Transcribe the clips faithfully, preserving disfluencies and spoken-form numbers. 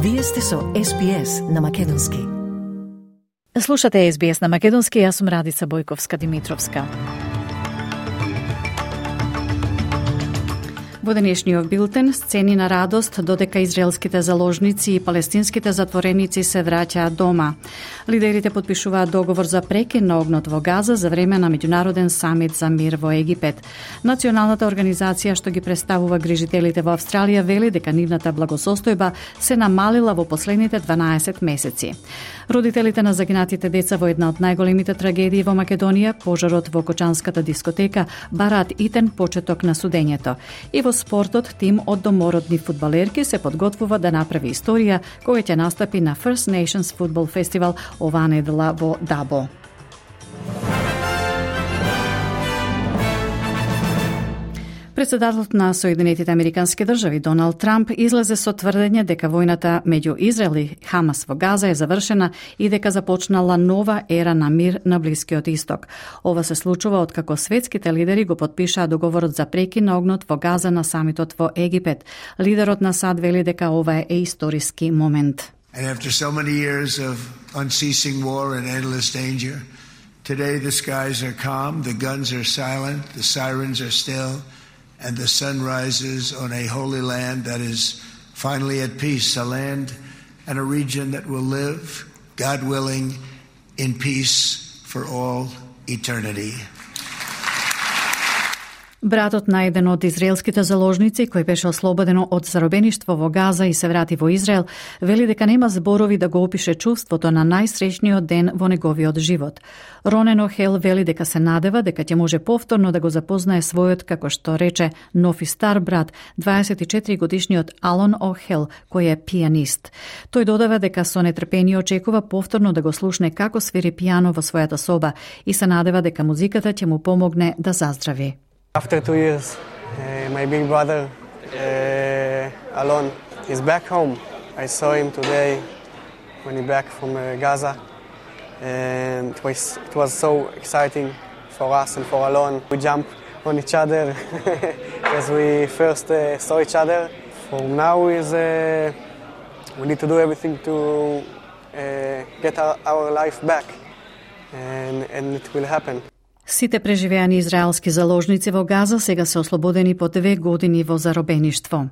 Вие сте со Ес Би Ес на македонски. Слушате Ес Би Ес на македонски, јас сум Радица Бојковска-Димитровска. Во денешниот билтен, сцени на радост додека израелските заложници и палестинските затвореници се враќаат дома. Лидерите потпишуваат договор за прекин на огнот во Газа за време на меѓународен самит за мир во Египет. Националната организација што ги представува грижителите во Австралија вели дека нивната благосостојба се намалила во последните дванаесет месеци. Родителите на загинатите деца во една од најголемите трагедии во Македонија, пожарот во Кочанската дискотека, бараат итен почеток на судењето. И во спортот, тим од домородни фудбалерки се подготвува да направи историја која ќе настапи на First Nations Football Festival оваа недела во Дабо. Председателот на Соединетите Американски држави Доналд Трамп излезе со тврдење дека војната меѓу Израел и Хамас во Газа е завршена и дека започнала нова ера на мир на Блискиот Исток. Ова се случува откако светските лидери го потпишаа договорот за прекин на огнот во Газа на самитот во Египет. Лидерот на САД вели дека ова е историски момент. And after so many years of unceasing war and endless danger, today the skies are calm, the guns are silent, the sirens are still, and the sun rises on a holy land that is finally at peace, a land and a region that will live, God willing, in peace for all eternity. Братот на еден од израелските заложници, кој беше ослободено од заробеништво во Газа и се врати во Израел, вели дека нема зборови да го опише чувството на најсреќниот ден во неговиот живот. Ронен Охел вели дека се надева дека ќе може повторно да го запознае својот, како што рече, нов и стар брат, дваесет и четири годишниот Алон Охел, кој е пијанист. Тој додава дека со нетрпение очекува повторно да го слушне како свири пијано во својата соба и се надева дека музиката ќе му помогне да заздрави. After two years, uh, my big brother, uh, Alon, is back home. I saw him today when he back from uh, Gaza, and it was, it was so exciting for us and for Alon. We jumped on each other as we first uh, saw each other. From now is uh, we need to do everything to uh, get our, our life back, and, and it will happen. Сите преживеани израелски заложници во Газа сега се ослободени по две години во заробеништво.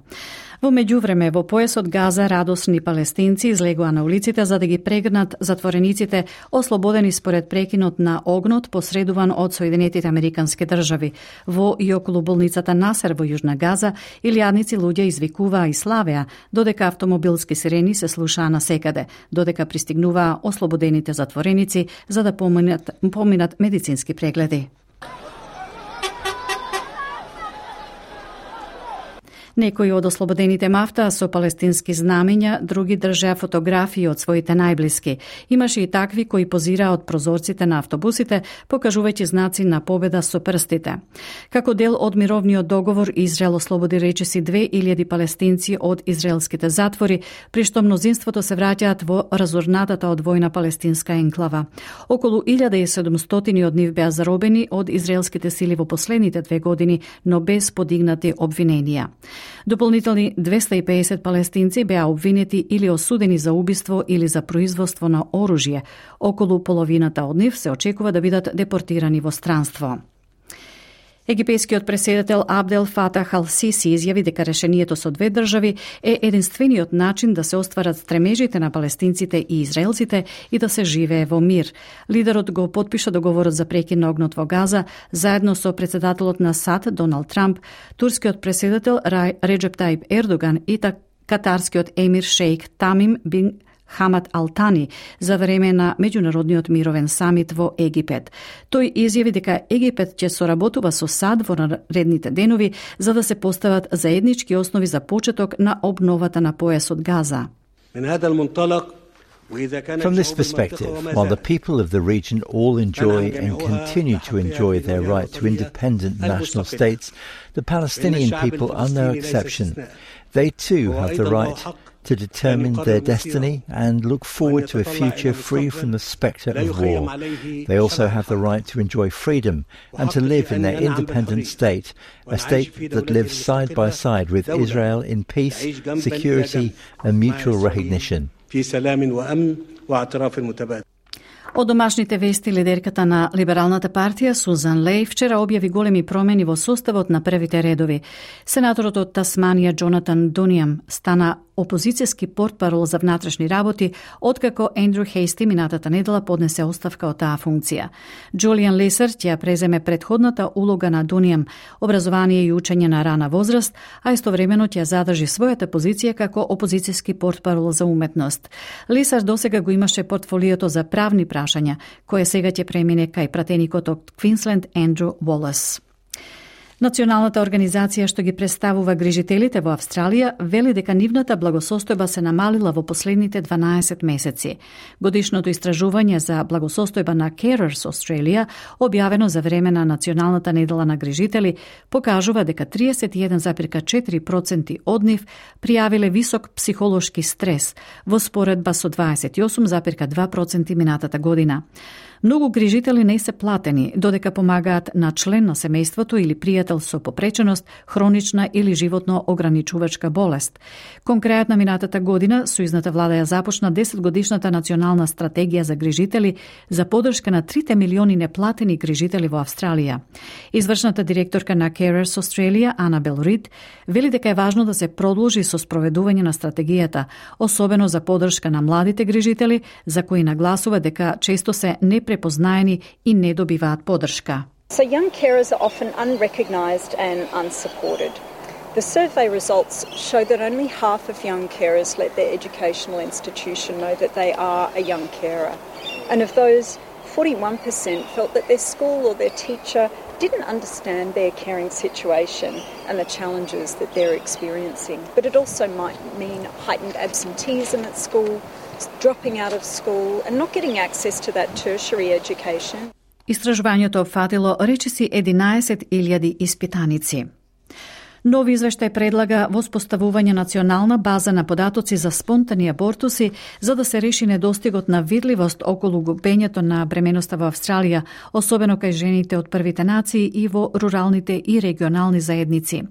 Во меѓувреме, во појасот Газа радосни палестинци излегоа на улиците за да ги прегнат затворениците ослободени според прекинот на огнот посредуван од Соединетите Американски држави. Во и околу болницата Насер во Јужна Газа илјадници луѓе извикуваа и славеа, додека автомобилски сирени се слушаа насекаде, додека пристигнуваа ослободените затвореници за да поминат, поминат медицински прегледи. Некои од ослободените мафтаа со палестински знамења, други држеа фотографии од своите најблиски. Имаше и такви кои позираа од прозорците на автобусите, покажувајќи знаци на победа со прстите. Како дел од мировниот договор, Израел ослободи речиси две илјади палестинци од израелските затвори, при што мнозинството се враќаат во разорнатата од војна палестинска енклава. Околу илјада и седумстотини од нив беа заробени од израелските сили во последните две години, но без подигнати обвиненија. Дополнителни двеста и педесет палестинци беа обвинети или осудени за убиство или за производство на оружје. Околу половината од нив се очекува да бидат депортирани во странство. Египетскиот преседател Абдел Фатах Ал-Сиси изјави дека решението со две држави е единствениот начин да се остварат стремежите на палестинците и израелците и да се живее во мир. Лидерот го потпиша договорот за прекин на огнот во Газа заедно со председателот на САД Доналд Трамп, турскиот преседател Реджеп Таип Ердоган и катарскиот емир шејк Тамим бин Хамад Алтани за време на меѓународниот мировен самит во Египет. Тој изјави дека Египет ќе соработува со САД во наредните денови за да се постават заеднички основи за почеток на обновата на појасот Газа. From this perspective, while the people of the region all enjoy and continue to enjoy their right to independent national states, the Palestinian people are no exception. They too have the right to determine their destiny and look forward to a future free from the spectre of war. They also have the right to enjoy freedom and to live in their independent state, a state that lives side by side with Israel in peace, security and mutual recognition. Од домашните вести, лидерката на Либералната партија Сузан Лей вчера објави големи промени во составот на првите редови. Сенаторот од Тасманија Джонатан Дунијам стана опозицијски портпарол за внатрешни работи, откако Ендрю Хейсти минатата недела поднесе оставка од таа функција. Джулијан Лесер ќе преземе претходната улога на Дунијам, образование и учење на рана возраст, а истовремено ќе задржи својата позиција како опозицијски портпарол за уметност. Лесер досега го имаше портфолиото за правни прашања, кое сега ќе премине кај пратеникот од Квинсленд Ендрю Волес. Националната организација што ги представува грижителите во Австралија вели дека нивната благосостојба се намалила во последните дванаесет месеци. Годишното истражување за благосостојба на Carers Australia, објавено за време на Националната недела на грижители, покажува дека триесет и еден зарез четири проценти од нив пријавиле висок психолошки стрес, во споредба со дваесет и осум зарез два проценти минатата година. Многу грижители не се платени, додека помагаат на член на семејството или пријател со попреченост, хронична или животно ограничувачка болест. Кон крајот на минатата година, сојузната влада ја започна десетгодишната национална стратегија за грижители за поддршка на трите милиони неплатени грижители во Австралија. Извршната директорка на Carers Australia, Анабел Рид, вели дека е важно да се продолжи со спроведување на стратегијата, особено за поддршка на младите грижители, за кои нагласува дека често се непрепознаени и не добиваат поддршка. So young carers are often unrecognised and unsupported. The survey results show that only half of young carers let their educational institution know that they are a young carer. And of those, forty-one percent felt that their school or their teacher didn't understand their caring situation and the challenges that they're experiencing. But it also might mean heightened absenteeism at school, dropping out of school and not getting access to that tertiary education. Истражувањето опфатило речиси единаесет илјади испитаници. Нови извештај предлага воспоставување национална база на податоци за спонтани абортуси за да се реши недостигот на видливост околу губењето на бременоста во Австралија, особено кај жените од првите нации и во руралните и регионални заедници.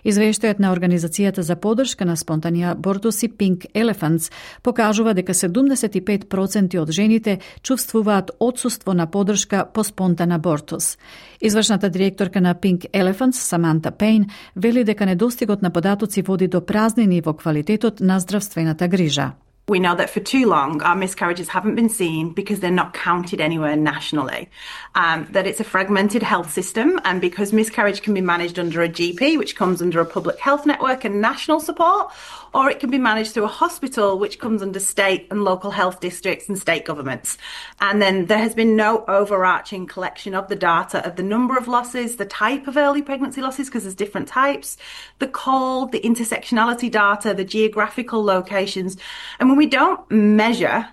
Извештајот на Организацијата за поддршка на спонтани абортуси Pink Elephants покажува дека седумдесет и пет проценти од жените чувствуваат отсуство на поддршка по спонтан абортус. Извршната директорка на Pink Elephants, Саманта Пейн, вели дека недостигот на податоци води до празнини во квалитетот на здравствената грижа. We know that for too long our miscarriages haven't been seen because they're not counted anywhere nationally. Um, that it's a fragmented health system, and because miscarriage can be managed under a G P, which comes under a public health network and national support, or it can be managed through a hospital, which comes under state and local health districts and state governments. And then there has been no overarching collection of the data of the number of losses, the type of early pregnancy losses, because there's different types, the call, the intersectionality data, the geographical locations. And when we don't measure,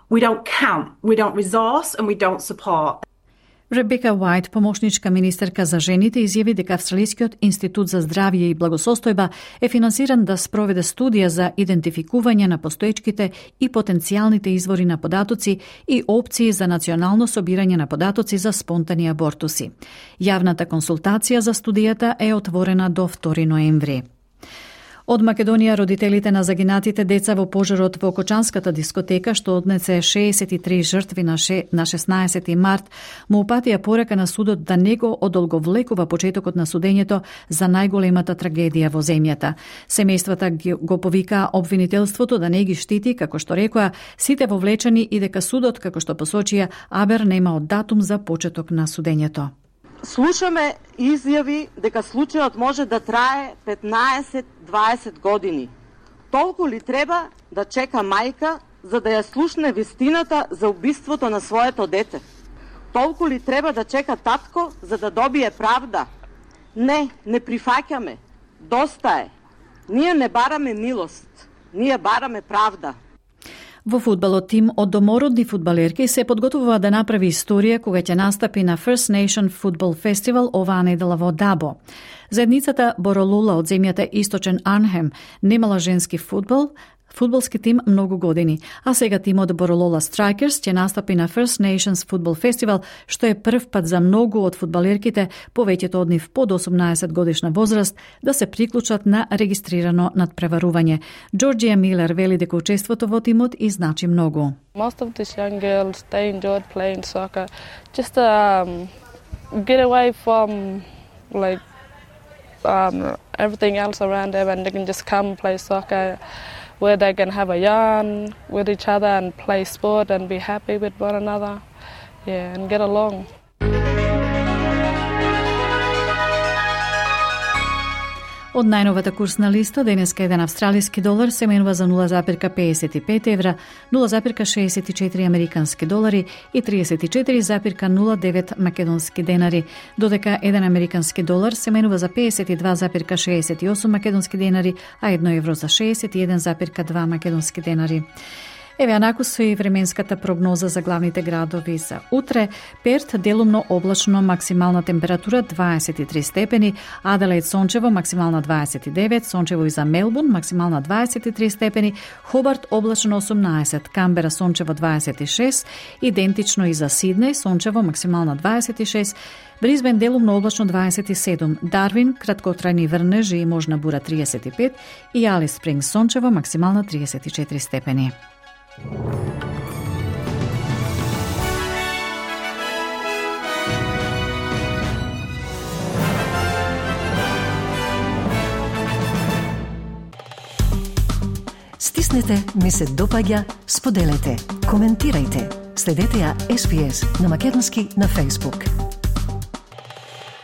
we don't count, we don't resource, and we don't support. Ребека Уајт, помошничка министерка за жените, изјави дека Австралискиот институт за здравје и благосостојба е финансиран да спроведе студија за идентификување на постоечките и потенцијалните извори на податоци и опции за национално собирање на податоци за спонтани абортуси. Јавната консултација за студијата е отворена до втори ноември. Од Македонија, родителите на загинатите деца во пожарот во Кочанската дискотека, што однесе шеесет и три жртви на, ше... на шеснаесети март, му упатија порека на судот да не го одолговлекува почетокот на судењето за најголемата трагедија во земјата. Семејствата го повика обвинителството да не ги штити, како што рекоа, сите вовлечени и дека судот, како што посочија, абер нема датум за почеток на судењето. Слушаме изјави дека случајот може да трае петнаесет до дваесет години. Толку ли треба да чека мајка за да ја слушне вистината за убиството на своето дете? Толку ли треба да чека татко за да добие правда? Не, не прифаќаме. Доста е. Ние не бараме милост. Ние бараме правда. Во фудбалот тим од домородни фудбалерки се подготвува да направи историја кога ќе настапи на First Nation Football Festival оваа недела во Дабо. Заедницата Боролула од земјата Источен Арнхем немала женски фудбал, фудбалски тим многу години, а сега тимот Borrolola Strikers ќе настапи на First Nations Football Festival, што е прв пат за многу од фудбалерките, повеќето од нив под осумнаесет годишна возраст, да се приклучат на регистрирано надпреварување. Джорджија Милер вели дека учеството во тимот и значи многу. Most of these young girls, they enjoyed playing soccer, just to um, get away from like um, everything else around them, and they can just come play soccer, where they can have a yarn with each other and play sport and be happy with one another, yeah, and get along. Од најновата курсна листа, денеска еден австралиски долар се менува за нула запирка педесет и пет евра, нула запирка шеесет и четири американски долари и триесет и четири запирка нула девет македонски денари, додека еден американски долар се менува за педесет и два запирка шеесет и осум македонски денари, а едно евро за шеесет и еден запирка два македонски денари. Еве анаку со и временската прогноза за главните градови за утре. Перт делумно облачно, максимална температура дваесет и три степени, Аделаид сончево, максимална дваесет и девет, сончево и за Мелбурн, максимална дваесет и три степени, Хобарт облачно осумнаесет, Камбера сончево дваесет и шест, идентично и за Сиднеј, сончево, максимална дваесет и шест, Брисбен делумно облачно дваесет и седум, Дарвин краткотрајни врнежи и можна бура триесет и пет и Алис Спрингс сончево, максимална триесет и четири степени. Стиснете, ми се допаѓа, споделете, коментирајте. Следете ја Ес Би Ес на македонски на Facebook.